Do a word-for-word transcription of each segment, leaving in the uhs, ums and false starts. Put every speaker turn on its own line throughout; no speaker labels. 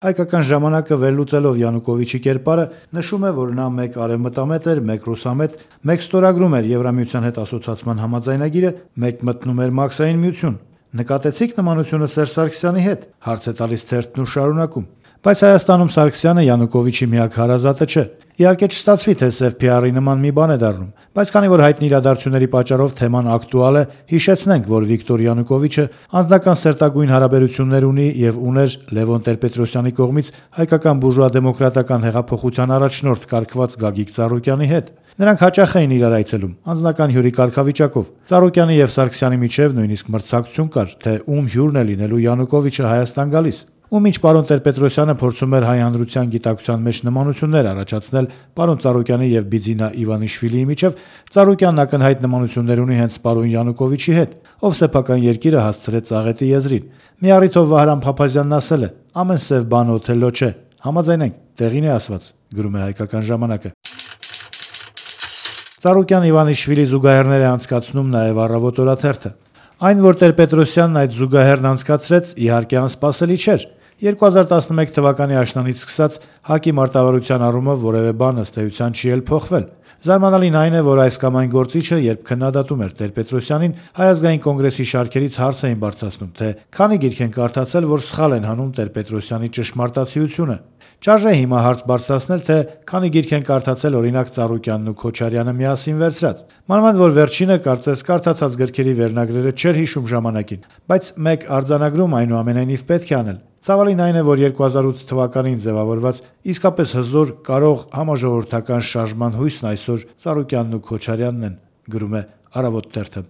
Հայկական ժամանակը վերլուծելով Յանուկովիչի կերպարը նշում է, որ նա մեկ արևմտամետ էր, մեկ ռուսամետ, մեկ ստորագրում էր Եվրամիության հետ ասոցիացման համաձայնագիրը, մեկ մտնում էր Մաքսային միություն։ Նկատեցիք նմանությունը Սերժ Սարգսյանի հետ, հարց է տալիս թերթն ու շարունակում։ Բայց Հայաստանում Սարգսյանը Յանուկովիչի միակ հարազատը չէ։ Իհարկե չստացվի, թե սև փի-արի նման մի բան է դառնում, բայց քանի որ հայտնի իրադարձությունների պատճառով թեման ակտուալ է, հիշեցնենք, որ Վիկտոր Յանուկովիչը անձնական սերտագույն հարաբերություններ ունի եւ ուներ Լևոն Տեր-Պետրոսյանի կողմից հայկական բուրժուա-դեմոկրատական հեղափոխության առաջնորդ կարգված Գագիկ Ծառուկյանի հետ։ Նրանք հաճախ էին իրար այցելում, անձնական հյուրի կարգավիճակով։ Ծառուկյանի եւ Սարգսյանի միջև նույնիսկ մրցակցություն կար, թե ում հյուրն է լինելու Յանուկովիչը Հայաստան գալիս։ Ու մինչ պարոն Տեր-Պետրոսյանը փորձում էր հայ հանրության գիտակցության մեջ նմանություններ առաջացնել պարոն Ծառուկյանի եւ Բիձինա Իվանիշվիլիի միջև, Ծառուկյանն ակնհայտ նմանություններ ունի հենց պարոն Յանուկովիչի հետ, ով սեփական երկիրը հասցրեց Ծաղետի եզրին։ Մի առիթով Վահրամ Փափազյանն ասել է. «Ամեն սև բան Օթելլո չէ»։ Համաձայնենք, տեղին է ասված, գրում է Հայկական ժամանակը։ Ծառուկյան-Իվանիշվիլի զուգահեռներ է անցկացնում նաեւ Առավոտ օրաթերթը։ Այն, որ Տեր-Պետրոսյանն այդ զուգահեռն անցկացրեց, իհարկե անսպասելի չէր։ երկու հազար տասնմեկ թվականի աշնանից սկսած ՀԱԿ-ի մարտավարության առումով որևէ բան ըստ էության չի էլ փոխվել։ Զարմանալին այն է, որ այս կամ այն գործիչը, երբ քննադատում էր Տեր-Պետրոսյանին, Հայ ազգային կոնգրեսի շարքերից հարց էին բարձրացնում, թե քանի գիրք են կարդացել, որ սխալ են հանում Տեր-Պետրոսյանի ճշմարտացիությունը։ Չարժե հիմա հարց բարձրացնել, թե քանի գիրք են կարդացել օրինակ Ծառուկյանն ու Քոչարյանը միասին վերցրած։ Մանավանդ որ վերջինը կարծես կարդացած գրքերի վերնագրերը չէր հիշում ժամանակին, բայց մեկ արձանագրում այնուամենայնիվ պետք է անել։ Ցավալին այն է, որ երկու հազար ութ թվականին ձևավորված իսկապես հզոր, կարող համաժողովրդական շարժման հույսն այսօր Ծառուկյանն ու Քոչարյանն են, գրում է Առավոտ թերթը։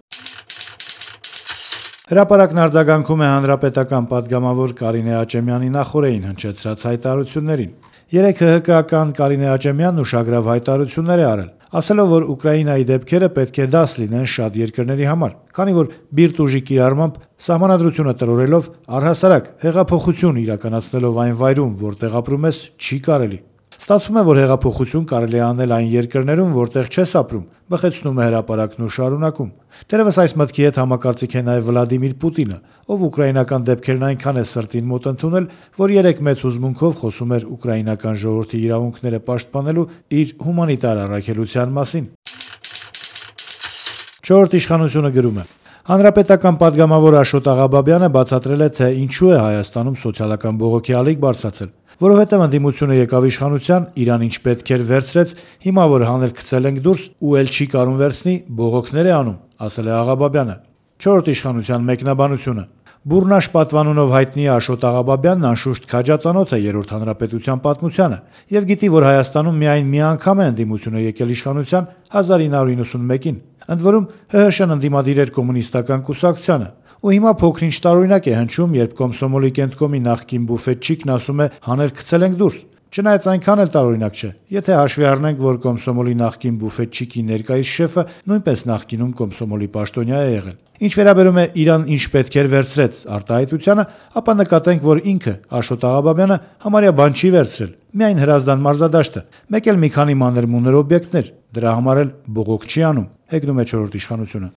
Հրապարակն արձագանքում է հանրապետական պատգամավոր Կարինե Աճեմյանի նախօրեին հնչեցրած հայտարարություններին։ Երեկ ՀՀԿ-ական Կարինե Աճեմյանն ուշագրավ հայտարարություններ է արել, ասելով, որ Ուկրաինայի դեպքերը պետք է դաս լինեն շատ երկրների համար, քանի որ բիրտ ուժի կիրառմամբ սահմանադրությունը տրորելով առհասարակ հեղափոխություն իրականացնելով այն վայրում, որտեղ ապրում ես, չի կարելի։ Ստացվում է, որ հեղափոխություն կարելի է անել այն երկրներում, որտեղ չես ապրում, բխեցնում է հրապարակն ու շարունակում։ Դերևս այս մտքի հետ համակարծիք է նաև Վլադիմիր Պուտինը, ով ուկրաինական դեպքերն այնքան է սրտին մոտ ընդունել, որ երեք մեծ հուզմունքով խոսում էր ուկրաինական ժողովրդի իրավունքները պաշտպանելու իր հումանիտար առաքելության մասին։ Չորրորդ իշխանությունը գրում է. Հանրապետական պատգամավոր Աշոտ Աղաբաբյանը բացատրել է, թե ինչու է Հայաստանում սոցիալական բողոքի ալիք բարձրացել, որովհետև ընդդիմությունը եկավ իշխանության, իրան ինչ պետք էր վերցրեց, հիմա որ հանել գցել ենք դուրս ու էլ չի կարում վերցնի, բողոքներ է անում, ասել է Աղաբաբյանը։ Չորրորդ իշխանության մեկնաբանությունը. Բուրնաշ պատվանունով հայտնի Աշոտ Աղաբաբյանն անշուշտ քաջածանոթ է երրորդ հանրապետության պատմությանը եւ գիտի, որ Հայաստանում միայն մի անգամ է ընդդիմությունը եկել իշխանության հազար ինը հարյուր նվաթ մեկին, ընդ որում ՀՀՇ-ն ընդդիմադիր էր կոմունիստական կուսակցությանը, ու հիմա փոքրինչ տարօրինակ է հնչում, երբ Կոմսոմոլի կենտկոմի նախկին բուֆետչիկն ասում է հանել գցել ենք դուրս։ Չնայած այնքան էլ տարօրինակ չէ, եթե հաշվի առնենք, որ Կոմսոմոլի նախկին բուֆետչիկի ներկայիս շեֆը նույնպես նախկինում Կոմսոմոլի պաշտոնյա է եղել։ Ինչ վերաբերում է իրան ինչ պետք էր վերցրեց արտահայտությանը, ապա նկատենք, որ ինքը Աշոտ Աղաբաբյանը համարյա բան չի վերցրել, միայն հրազդան մարզադաշտը, մեկ էլ մի քանի մանր-մունր օբյեկտներ, դրա համար էլ բողոք չի անում, հեգնում է չորրորդ իշխանությունը։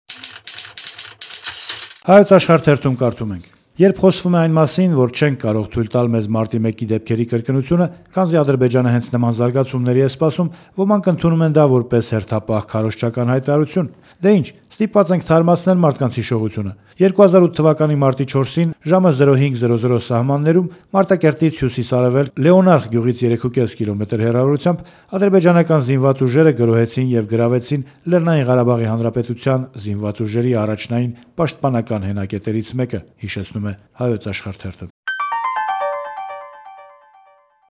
Հայոց աշխարհ թերթում կարդում ենք. Երբ խոսվում է այն մասին, որ չենք կարող թույլ տալ մեզ մարտի մեկի դեպքերի կրկնությունը, քանզի Ադրբեջանը հենց նման զարգացումների է սպասում, ոմանք ընդունում են դա որպես հերթապահ քարոզչական հայտարարություն։ Դե ինչ, ստիպված ենք թարմացնել մարդկանց հիշողությունը։ երկու հազար ութ թվականի մարտի չորսին ժամը զրո հինգ զրո զրո սահմաններում Մարտակերտից հյուսիս-արևելք Լեոնարդ գյուղից երեք ու կես կիլոմետր հեռավորությամբ ադրբեջանական զինված ուժերը գրոհեցին եւ գրավեցին Լեռնային Ղարաբաղի Հանրապետության զինված ուժերի առաջնային պաշտպանական հենակետերից մեկը, հիշեցնում է Հայոց աշխարհ թերթը։